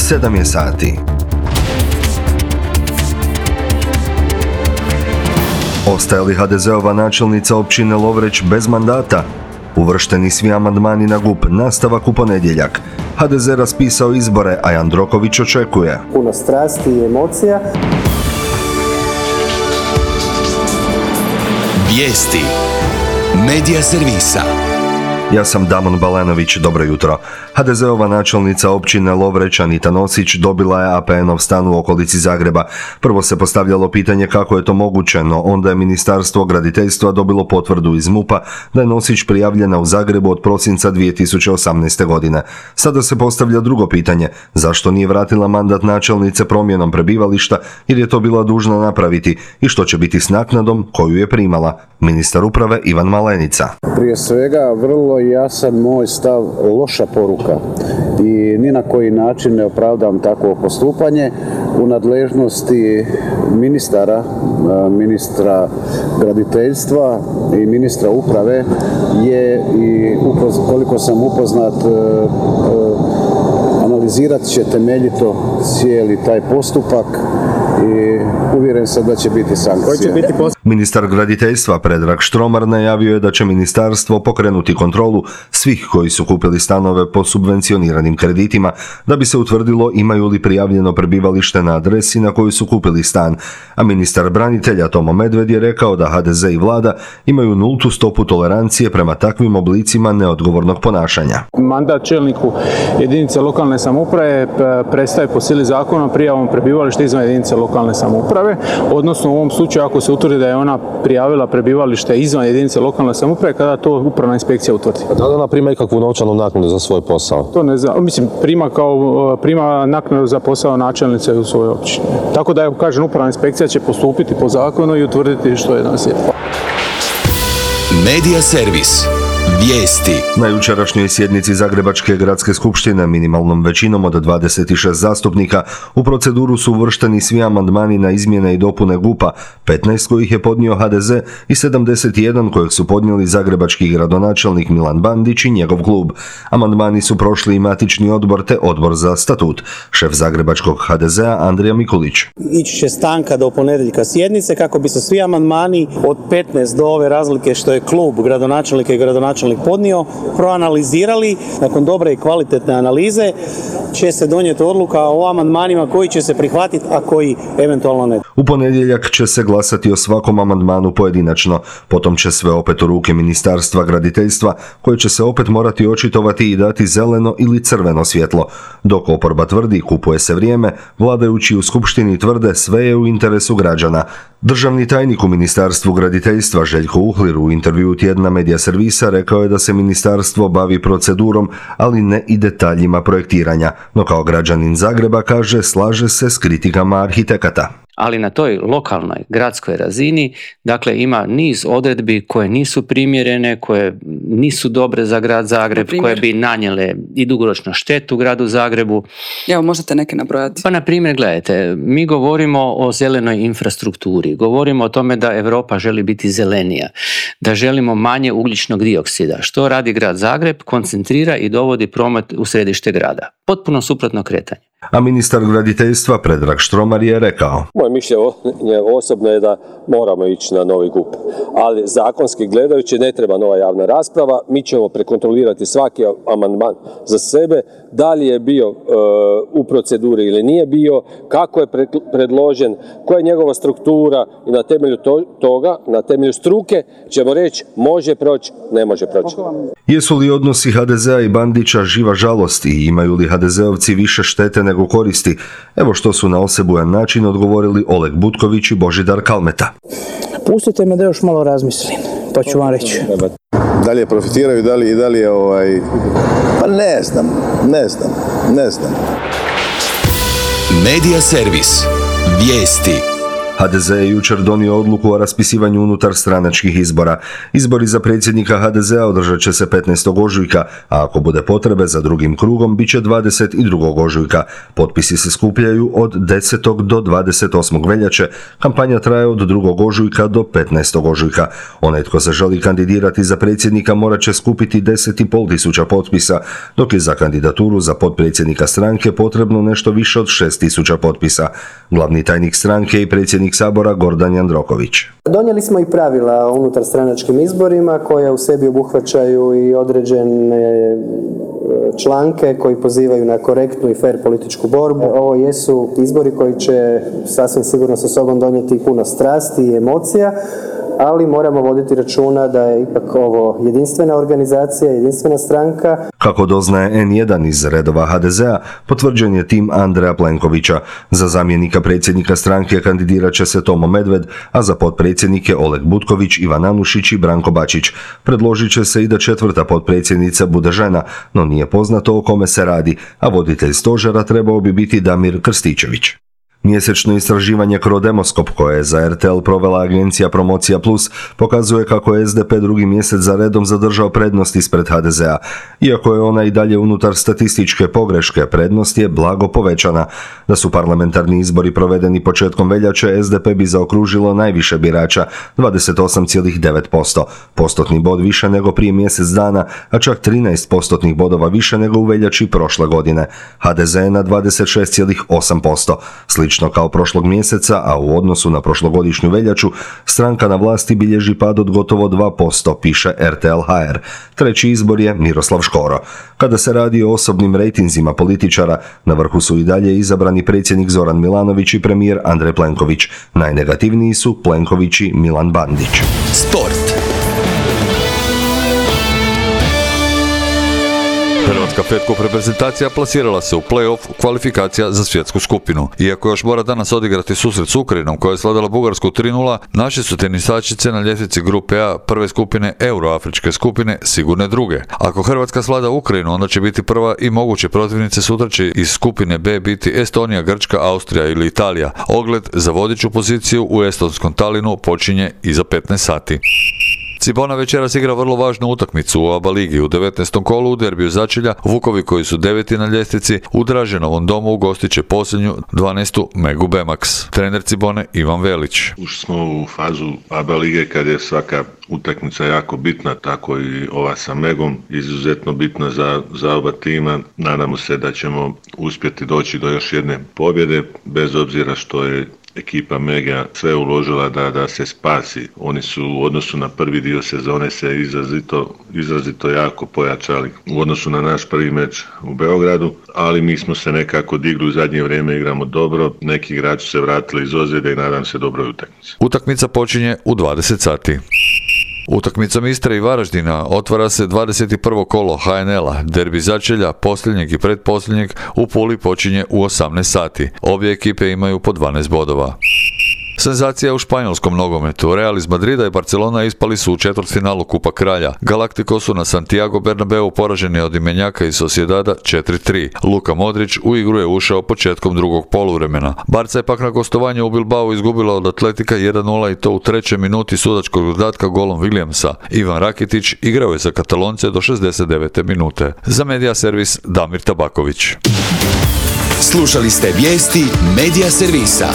7 je sati. Ostaje li HDZ-ova načelnica općine Lovreć bez mandata? Uvršteni svi amandmani na GUP, nastavak u ponedjeljak. HDZ raspisao izbore, a Jandroković očekuje. Puno strasti i emocija. Vijesti Medija servisa. Ja sam Damon Balanović, dobro jutro. HDZ-ova načelnica općine Lovreć Anita Nosić dobila je APN-ov stan u okolici Zagreba. Prvo se postavljalo pitanje kako je to moguće, no onda je Ministarstvo graditeljstva dobilo potvrdu iz MUP-a da je Nosić prijavljena u Zagrebu od prosinca 2018. godine. Sada se postavlja drugo pitanje, zašto nije vratila mandat načelnice promjenom prebivališta, jer je to bila dužna napraviti, i što će biti s naknadom koju je primala. Ministar uprave Ivan Malenica. Prije svega, vrlo jasan moj stav, loša poruka i ni na koji način ne opravdam takvo postupanje. U nadležnosti ministra graditeljstva i ministra uprave je, i koliko sam upoznat, analizirat će temeljito cijeli taj postupak i uvjeren sam da će biti sankcije. Ministar graditeljstva Predrag Štromar najavio je da će ministarstvo pokrenuti kontrolu svih koji su kupili stanove po subvencioniranim kreditima, da bi se utvrdilo imaju li prijavljeno prebivalište na adresi na koju su kupili stan. A ministar branitelja Tomo Medved je rekao da HDZ i vlada imaju nultu stopu tolerancije prema takvim oblicima neodgovornog ponašanja. Mandat čelniku jedinice lokalne samouprave prestaje po sili zakona prijavom prebivališta izvan jedinice lokalne samouprave, odnosno u ovom slučaju ako se utvrdi da je ona prijavila prebivalište izvan jedinice lokalne samouprave, kada to upravna inspekcija utvrdi. Da li ona prima ikakvu novčanu naknadu za svoj posao? To ne znam, prima naknadu za posao načelnice u svojoj općini. Tako da, kažem, upravna inspekcija će postupiti po zakonu i utvrditi što je nas je. Medija servis. Vijesti. Na jučerašnjoj sjednici Zagrebačke gradske skupštine minimalnom većinom od 26 zastupnika u proceduru su uvršteni svi amandmani na izmjene i dopune GUP-a, 15 kojih je podnio HDZ i 71 kojeg su podnijeli zagrebački gradonačelnik Milan Bandić i njegov klub. Amandmani su prošli i matični odbor te odbor za statut. Šef zagrebačkog HDZ-a Andrija Mikulić. Ići će stanka do ponedjeljka sjednice kako bi se svi amandmani od 15 do ove razlike što je klub gradonačelnika i gradonačelnik podnio, proanalizirali. Nakon dobre i kvalitetne analize će se donijeti odluka o amandmanima koji će se prihvatiti, a koji eventualno ne. U ponedjeljak će se glasati o svakom amandmanu pojedinačno, potom će sve opet u ruke Ministarstva graditeljstva, koje će se opet morati očitovati i dati zeleno ili crveno svjetlo. Dok oporba tvrdi kupuje se vrijeme, vladajući u skupštini tvrde sve je u interesu građana. Državni tajnik u Ministarstvu graditeljstva Željko Uhlir u intervjuu tjedna Medija servisa rekao je da se ministarstvo bavi procedurom, ali ne i detaljima projektiranja, no kao građanin Zagreba kaže slaže se s kritikama arhitekata. Ali na toj lokalnoj, gradskoj razini, dakle, ima niz odredbi koje nisu primjerene, koje nisu dobre za grad Zagreb, koje bi nanijele i dugoročno štetu gradu Zagrebu. Evo, možete neke nabrojati. Pa, na primjer, gledajte, mi govorimo o zelenoj infrastrukturi, govorimo o tome da Europa želi biti zelenija, da želimo manje ugljičnog dioksida. Što radi grad Zagreb? Koncentrira i dovodi promet u središte grada. Potpuno suprotno kretanje. A ministar graditeljstva Predrag Štromar je rekao: moje mišljenje osobno je da moramo ići na novi GUP, ali zakonski gledajući ne treba nova javna rasprava, mi ćemo prekontrolirati svaki amandman za sebe, da li je bio u proceduri ili nije bio, kako je predložen, koja je njegova struktura i na temelju toga, na temelju struke ćemo reći može proći, ne može proći. Jesu li odnosi HDZ-a i Bandića živa žalost i imaju li HDZ-ovci više štete nego koristi? Evo što su na osebujan način odgovorili Oleg Butković i Božidar Kalmeta. Pustite me da još malo razmislim, pa ću vam reći. Da li je profitiraju, da li je Pa ne znam. Medija servis. Vijesti. HDZ je jučer donio odluku o raspisivanju unutar stranačkih izbora. Izbori za predsjednika HDZ-a održat će se 15. ožujka, a ako bude potrebe za drugim krugom, bit će 22. ožujka. Potpisi se skupljaju od 10. do 28. veljače, kampanja traje od 2. ožujka do 15. ožujka. Onaj tko se želi kandidirati za predsjednika morat će skupiti 10,5 tisuća potpisa, dok je za kandidaturu za potpredsjednika stranke potrebno nešto više od 6.000 potpisa. Glavni tajnik stranke i predsjednik Sabora Gordan Jandroković. Donijeli smo i pravila o unutar stranačkim izborima koja u sebi obuhvaćaju i određene članke koji pozivaju na korektnu i fer političku borbu. Ovo jesu izbori koji će sasvim sigurno sa sobom donijeti puno strasti i emocija, ali moramo voditi računa da je ipak ovo jedinstvena organizacija, jedinstvena stranka. Kako doznaje N1 iz redova HDZ-a, potvrđen je tim Andreja Plenkovića. Za zamjenika predsjednika stranke kandidirat će se Tomo Medved, a za potpredsjednike Oleg Butković, Ivan Anušić i Branko Bačić. Predložit će se i da četvrta potpredsjednica bude žena, no nije poznato o kome se radi, a voditelj stožera trebao bi biti Damir Krstičević. Mjesečno istraživanje Crodemoskop koje je za RTL provela agencija Promocija Plus pokazuje kako je SDP drugi mjesec za redom zadržao prednost ispred HDZ-a. Iako je ona i dalje unutar statističke pogreške, prednost je blago povećana. Da su parlamentarni izbori provedeni početkom veljače, SDP bi zaokružilo najviše birača, 28,9%. Postotni bod više nego prije mjesec dana, a čak 13 postotnih bodova više nego u veljači prošle godine. HDZ je na 26,8%. Slično kao prošlog mjeseca, a u odnosu na prošlogodišnju veljaču, stranka na vlasti bilježi pad od gotovo 2%, piše RTL HR. Treći izbor je Miroslav Škoro. Kada se radi o osobnim rejtinzima političara, na vrhu su i dalje izabrani predsjednik Zoran Milanović i premijer Andrej Plenković. Najnegativniji su Plenković i Milan Bandić. Sport. Hrvatska Fed Cup reprezentacija plasirala se u play-off kvalifikacija za svjetsku skupinu. Iako još mora danas odigrati susret s Ukrajinom koja je slavila Bugarsku 3:0, naše su tenisačice na ljestvici grupe A prve skupine Euroafričke skupine sigurne druge. Ako Hrvatska svlada Ukrajinu, onda će biti prva i moguće protivnice sutra će iz skupine B biti Estonija, Grčka, Austrija ili Italija. Ogled za vodeću poziciju u estonskom Talinu počinje iza 15 sati. Cibona večeras igra vrlo važnu utakmicu u ABA ligi. U 19. kolu u derbiju začelja Vukovi koji su 9. na ljestvici u Draženovom domu ugostit će posljednju 12. Megu Bemax. Trener Cibone Ivan Velić. Ušli smo u fazu ABA lige kad je svaka utakmica jako bitna, tako i ova sa Megom, izuzetno bitna za oba tima. Nadamo se da ćemo uspjeti doći do još jedne pobjede, bez obzira što je ekipa Mega sve uložila da se spasi. Oni su u odnosu na prvi dio sezone se izrazito jako pojačali u odnosu na naš prvi meč u Beogradu, ali mi smo se nekako digli u zadnje vrijeme, igramo dobro, neki igrači se vratili iz ozljede i nadam se dobroj utakmici. Utakmica počinje u 20 sati. Utakmicom Istre i Varaždina otvara se 21. kolo HNL-a. Derbi začelja, posljednjeg i pretposljednjeg, u Puli počinje u 18 sati. Obje ekipe imaju po 12 bodova. Senzacija u španjolskom nogometu. Real iz Madrida i Barcelona ispali su u četvrtfinalu Kupa Kralja. Galacticos su na Santiago Bernabeu poraženi od Imenjaka i Sociedada 4:3. Luka Modrić u igru je ušao početkom drugog poluvremena. Barca je pak na gostovanju u Bilbao izgubila od Atletika 1:0 i to u 3. minuti sudačkog dodatka golom Williamsa. Ivan Rakitić igrao je za Katalonce do 69. minute. Za Medija servis Damir Tabaković. Slušali ste vijesti Medija servisa.